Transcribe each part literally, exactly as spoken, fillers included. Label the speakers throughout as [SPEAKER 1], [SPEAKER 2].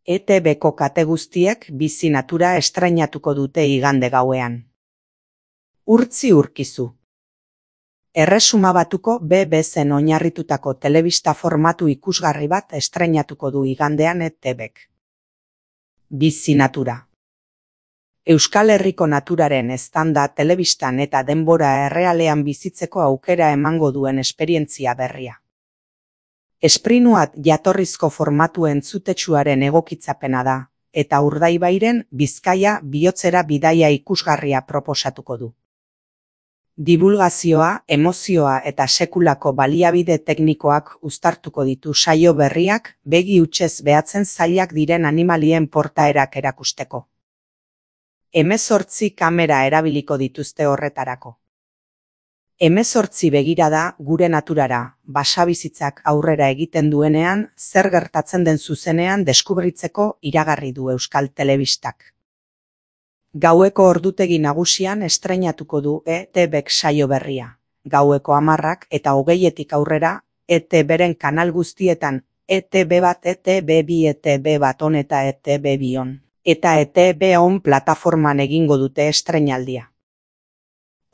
[SPEAKER 1] E T B-ko kate guztiek Bizi Natura estrainatuko dute igande gauean. Urtzi urkizu. Erresuma Batuko B B C-n oinarritutako telebista formatu ikusgarri bat estrainatuko du igandean E T B-k. Bizi Natura. Euskal Herriko naturaren eztanda telebistan eta denbora errealean bizitzeko aukera emango duen esperientzia berria. Esprinuat jatorrizko formatu entzutetsuaren egokitzapena da, eta Urdaibairen Bizkaia bihotzera bidaia ikusgarria proposatuko du. Dibulgazioa, emozioa eta sekulako baliabide teknikoak uztartuko ditu saio berriak begi hutsez behatzen zailak diren animalien portaerak erakusteko. Hemezortzi kamera erabiliko dituzte horretarako. Hemezortzi begirada gure naturara, basabizitzak aurrera egiten duenean, zer gertatzen den zuzenean deskubritzeko iragarri du Euskal Telebistak. Gaueko ordutegi nagusian estreinatuko du E T B-k saio berria. Gaueko hamarrak eta hogeietik aurrera, E T B-ren kanal guztietan, E T B bat, E T B bi, E T B bat on eta E T B bi on. Eta E T B on plataforman egingo dute estreinaldia.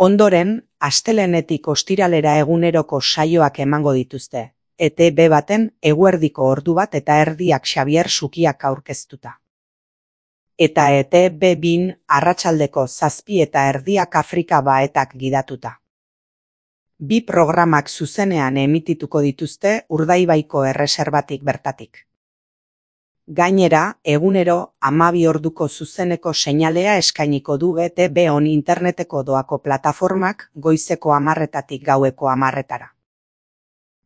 [SPEAKER 1] Ondoren, astelehenetik ostiralera eguneroko saioak emango dituzte, E T B baten eguerdiko ordu bat eta erdiak Xabier Sukiak aurkeztuta. Eta E T B bin arratsaldeko zazpi eta erdiak Afrika baetak gidatuta. Bi programak zuzenean emitituko dituzte Urdaibaiko erreserbatik bertatik. Gainera, egunero hamabi orduko zuzeneko seinalea eskainiko du E T B on interneteko doako plataformak goizeko hamarretatik gaueko hamarretara.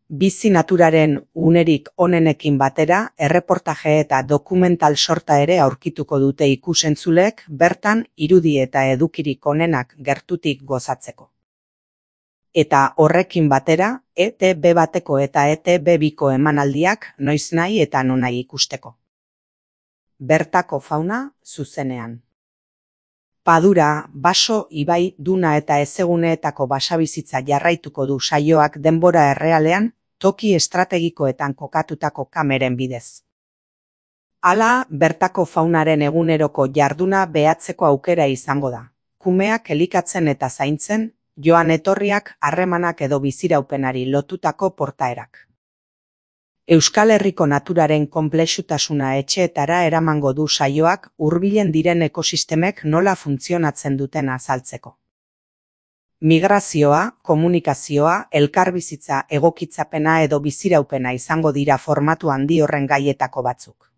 [SPEAKER 1] Bizi Naturaren unerik onenekin batera, erreportaje eta dokumental sorta ere aurkituko dute ikusentzulek bertan irudi eta edukirik onenak gertutik gozatzeko. Eta horrekin batera, E T B bateko eta E T B biko emanaldiak noiznahi eta nonahi ikusteko. Bertako fauna zuzenean. Padura, baso, ibai, duna eta ezeguneetako basabizitza jarraituko du saioak denbora errealean, toki estrategikoetan kokatutako kameren bidez. Hala, bertako faunaren eguneroko jarduna behatzeko aukera izango da. Kumeak elikatzen eta zaintzen, joan etorriak, harremanak edo biziraupenari lotutako portaerak. Euskal Herriko naturaren konplexutasuna etxeetara eramango du saioak hurbilen diren ekosistemek nola funtzionatzen duten azaltzeko. Migrazioa, komunikazioa, elkarbizitza, egokitzapena edo biziraupena izango dira formatu handi horren gaietako batzuk.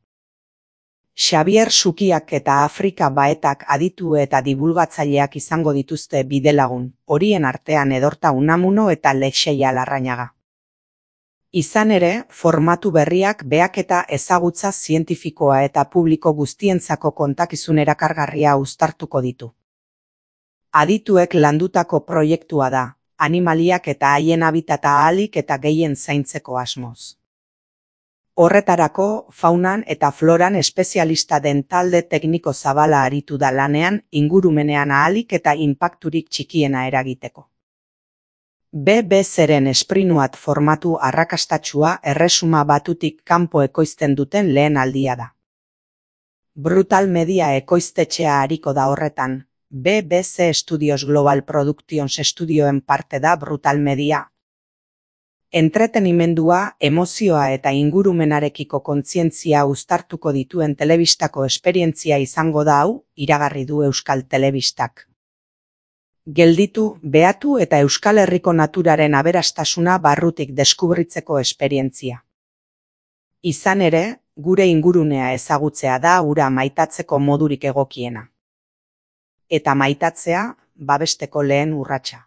[SPEAKER 1] Xabier Sukiak eta Afrika baetak aditu eta dibulgatzaileak izango dituzte bidelagun, horien artean Edorta Unamuno eta Lexeia Larrañaga. Izan ere, formatu berriak behaketa ezagutza zientifikoa eta publiko guztientzako kontakizun erakargarria uztartuko ditu. Adituek landutako proiektua da, animaliak eta haien habitata ahalik eta gehien zaintzeko asmoz. Horretarako, faunan eta floran espezialista den talde tekniko zabala aritu da lanean ingurumenean ahalik eta inpakturik txikiena eragiteko. B B C-ren esprinuat formatu arrakastatsua Erresuma Batutik kanpo ekoizten duten lehen aldia da. Brutal Media ekoiztetxea ariko da horretan, B B C Studios Global Productions estudioen parte da Brutal Media. Entretenimendua, emozioa eta ingurumenarekiko kontzientzia uztartuko dituen telebistako esperientzia izango da hau, iragarri du Euskal Telebistak. Gelditu, behatu eta Euskal Herriko naturaren aberastasuna barrutik deskubritzeko esperientzia. Izan ere, gure ingurunea ezagutzea da hura maitatzeko modurik egokiena. Eta maitatzea, babesteko lehen urratsa.